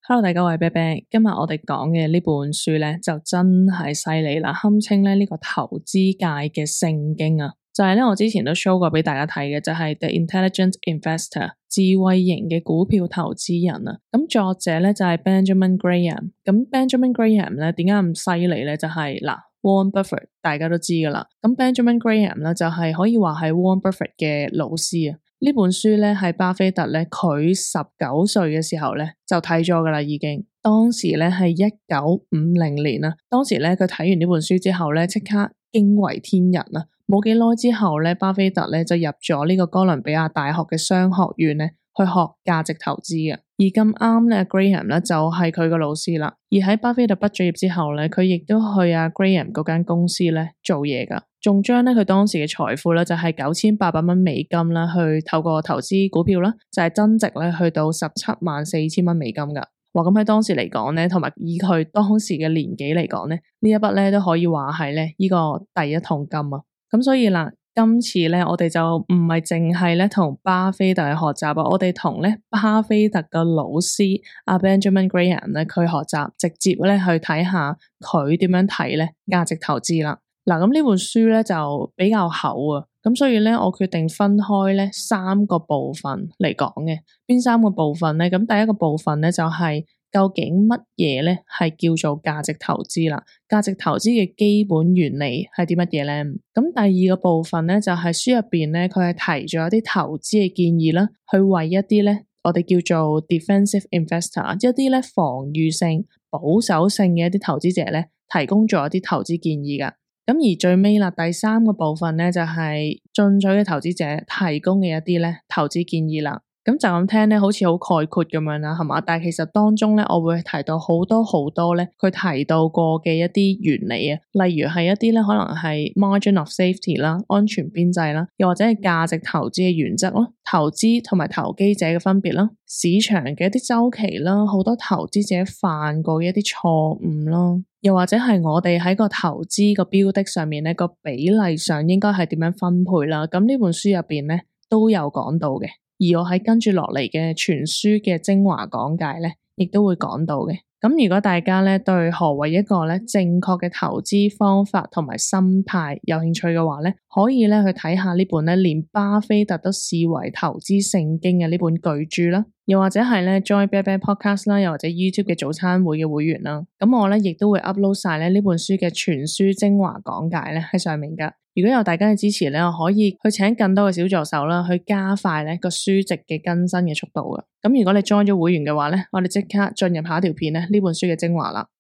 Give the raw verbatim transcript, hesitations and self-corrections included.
Hello，大家好，我係啤啤。今日我哋講嘅呢本書咧，就真係犀利啦，堪稱咧呢個投資界嘅聖經啊！就係咧我之前都 show 過俾大家睇嘅，就係 The Intelligent Investor 智慧型嘅股票投資人啊。咁作者咧就係 Benjamin Graham。咁 Benjamin Graham 咧點解咁犀利咧？就係嗱 Warren Buffett 大家都知噶啦。咁 Benjamin Graham 咧就係可以話係 Warren Buffett 嘅老師啊。呢本書咧係巴菲特咧佢十九歲嘅時候咧就睇咗噶啦，已經當時咧係一九五零年啦。當時咧佢睇完呢本書之後咧即刻驚為天人啊！冇幾耐之後咧，巴菲特咧就入咗呢個哥倫比亞大學嘅商學院咧去學價值投資嘅。而咁啱咧 Graham 咧就係佢個老師啦。而喺巴菲特畢咗業之後咧，佢亦都去阿 Graham 嗰間公司咧做嘢噶，仲將咧佢當時嘅財富咧就係九千八百蚊美金啦，去透過投資股票啦，就係增值咧去到十七萬四千蚊美金噶。哇！咁喺當時嚟講咧，同埋以佢當時嘅年紀嚟講咧，呢一筆咧都可以話係咧呢個第一桶金啊！咁所以啦，今次咧我哋就唔係淨係咧同巴菲特去學習啊，我哋同咧巴菲特嘅老師阿 Benjamin Graham 咧佢學習，直接咧去睇下佢點樣睇咧價值投資啦。嗱，咁呢本書咧就比較厚啊，咁所以咧我決定分開咧三個部分嚟講嘅。邊三個部分咧？咁第一個部分咧就係、是、究竟乜嘢咧係叫做價值投資啦？價值投資嘅基本原理係啲乜嘢咧？咁第二個部分咧就係、是、書入邊咧佢係提咗一啲投資嘅建議啦，去為一啲咧我哋叫做 defensive investor 一啲咧防禦性、保守性嘅一啲投資者咧提供咗一啲投資建議噶。咁而最尾啦，第三個部分咧就係進取嘅投資者提供嘅一啲咧投資建議啦。咁就咁聽咧，好似好概括咁樣啦，係嘛？但係其實當中咧，我會提到好多好多咧，佢提到過嘅一啲原理啊，例如係一啲咧可能係 margin of safety 啦，安全邊際啦，又或者係價值投資嘅原則咯，投資同埋投機者嘅分別啦，市場嘅一啲周期啦，好多投資者犯過嘅一啲錯誤咯，又或者係我哋喺個投資個標的上面咧個比例上應該係點樣分配啦。咁呢本書入邊咧都有講到嘅。而我喺跟住落嚟嘅全書嘅精華講解咧，亦都會講到嘅。咁如果大家咧對何謂一個咧正確嘅投資方法同埋心態有興趣嘅話咧，可以咧去睇下呢本咧連巴菲特都視為投資聖經嘅呢本巨著啦，又或者係咧 Join Bear Bear Podcast 啦，又或者 YouTube 嘅早餐會嘅會員啦。咁我咧亦都會 upload 晒咧呢本書嘅全書精華講解咧喺上面噶。如果有大家嘅支持咧，我可以去請更多嘅小助手啦，去加快咧個書籍嘅更新嘅速度嘅。咁如果你 join 咗會員嘅話咧，我哋即刻進入下一條片咧呢本書嘅精華啦。